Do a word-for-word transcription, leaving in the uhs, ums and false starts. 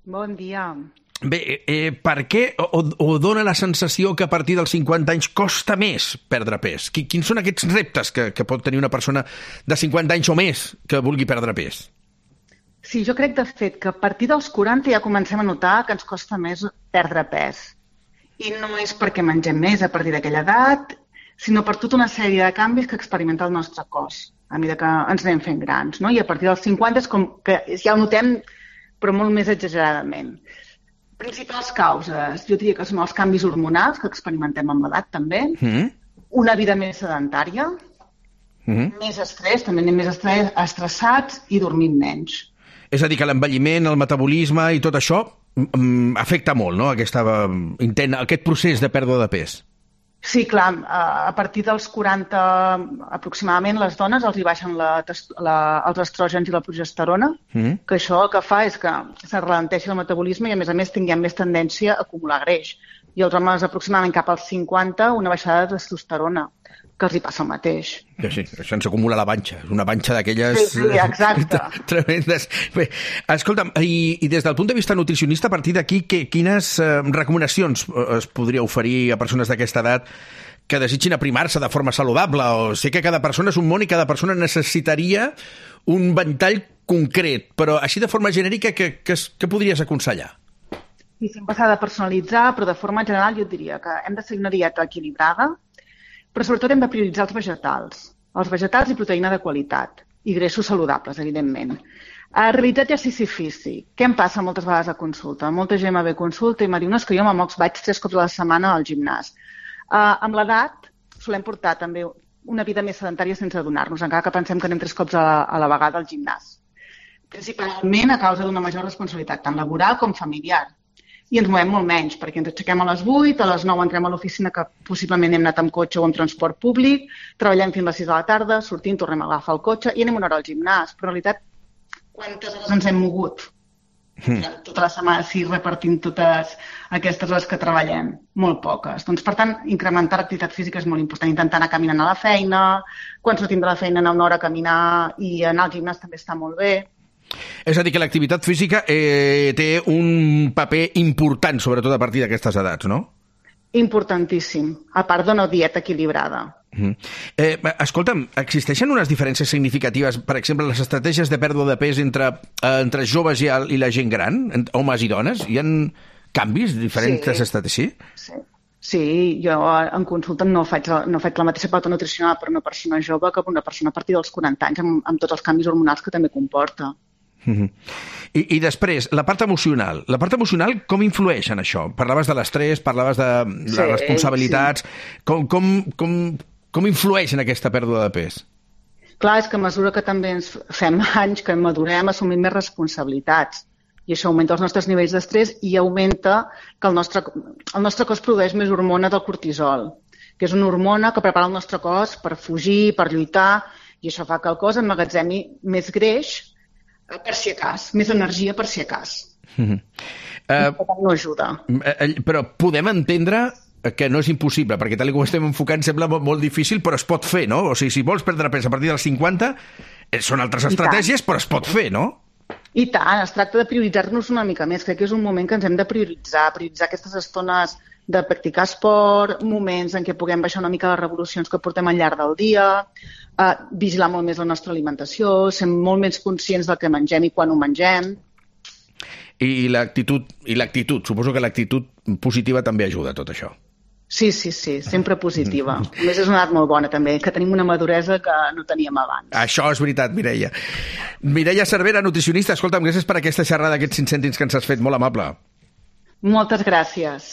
Bon dia. Bé, eh, per què o, o dona la sensació que a partir dels cinquanta anys costa més perdre pes? Quins són aquests reptes que, que pot tenir una persona de cinquanta anys o més que vulgui perdre pes? Sí, jo crec, de fet, que a partir dels quaranta ja comencem a notar que ens costa més perdre pes. I no és perquè mengem més a partir d'aquella edat, sinó per tota una sèrie de canvis que experimenta el nostre cos a mesura que ens anem fent grans, no? I a partir dels cinquanta és com que ja ho notem, però molt més exageradament. Principals causes, jo diria que són els canvis hormonals que experimentem amb l'edat també, mm. una vida més sedentària, mm. més estrès, també anem més estrès, estressats i dormint menys. És a dir, que l'envelliment, el metabolisme i tot això mm, afecta molt, no?, Aquesta, intent, aquest procés de pèrdua de pes. Sí, clar, a partir dels quaranta aproximadament les dones els hi baixen la, la, els estrògens i la progesterona, mm. que això el que fa és que se ralenteixi el metabolisme i a més a més tinguem més tendència a acumular greix. I els homes aproximadament cap als cinquanta una baixada de testosterona, que els hi passa el mateix. Sí, sí, això ens acumula la panxa, és una panxa d'aquelles... Sí, sí, exacte. Tremendes. Bé, escolta'm, i, i des del punt de vista nutricionista, a partir d'aquí, que, quines eh, recomanacions es podria oferir a persones d'aquesta edat que desitgin aprimar-se de forma saludable? O sé que cada persona és un món i cada persona necessitaria un ventall concret, però així de forma genèrica, què, què, què podries aconsellar? Sí, sempre s'ha de personalitzar, però de forma general jo et diria que hem de seguir una dieta equilibrada, però sobretot hem de prioritzar els vegetals, els vegetals i proteïna de qualitat, i greixos saludables, evidentment. A realitzar exercici físic. Què em passa moltes vegades a consulta? Molta gent me ve a consulta i em diu, no, és que jo amb mocs vaig tres cops a la setmana al gimnàs. Uh, amb l'edat solem portar també una vida més sedentària sense adonar-nos, encara que pensem que anem tres cops a la, a la vegada al gimnàs. Principalment a causa d'una major responsabilitat, tant laboral com familiar. I ens movem molt menys, perquè ens aixequem a les vuit, a les nou entrem a l'oficina, que possiblement hem anat amb cotxe o amb transport públic, treballem fins a les sis de la tarda, sortim, tornem a agafar el cotxe i anem una hora al gimnàs. Però en realitat, quantes hores ens hem mogut? Mm. Tota la setmana, sí, repartint totes aquestes hores que treballem. Molt poques. Doncs, per tant, incrementar l'activitat física és molt important. Intentar anar caminant a la feina, quan sortim de la feina anar una hora a caminar i anar al gimnàs també està molt bé. És a dir, que l'activitat física eh, té un paper important, sobretot a partir d'aquestes edats, no? Importantíssim, a part d'una dieta equilibrada. Uh-huh. Eh, escolta'm, existeixen unes diferències significatives, per exemple, les estratègies de pèrdua de pes entre, eh, entre joves i, el, i la gent gran, homes i dones? Hi ha canvis diferents sí. estratègies? Sí. Sí, jo en consulta no faig, no faig la mateixa pauta nutricional per una persona jove que per una persona a partir dels quaranta anys, amb, amb tots els canvis hormonals que també comporta. Uh-huh. I, I després, la part emocional. La part emocional, com influeix en això? Parlaves de l'estrès, parlaves de les sí, responsabilitats. Sí. Com, com, com, com influeix en aquesta pèrdua de pes? Clar, és que a mesura que també ens fem anys, que madurem, assumim més responsabilitats. I això augmenta els nostres nivells d'estrès i augmenta que el nostre, el nostre cos produeix més hormona del cortisol, que és una hormona que prepara el nostre cos per fugir, per lluitar, i això fa que el cos emmagatzemi més greix per si acas, més energia per si acas. Mm-hmm. Uh, no ajuda. Però podem entendre que no és impossible, perquè tal com estem enfocant sembla molt, molt difícil, però es pot fer, no? O sigui, si vols perdre pes a partir dels cinquanta, són altres estratègies, però es pot fer, no? I tant, es tracta de prioritzar-nos una mica més. Crec que és un moment que ens hem de prioritzar, prioritzar aquestes estones de practicar esport, moments en què puguem baixar una mica les revolucions que portem al llarg del dia, eh, vigilar molt més la nostra alimentació, ser molt més conscients del que mengem i quan ho mengem. I l'actitud, i l'actitud, suposo que l'actitud positiva també ajuda a tot això. Sí, sí, sí, sempre positiva. A més, és una edat molt bona, també, que tenim una maduresa que no teníem abans. Això és veritat, Mireia. Mireia Cervera, nutricionista, escolta'm, gràcies per aquesta xerrada, aquests cinc cèntims que ens has fet, molt amable. Moltes gràcies.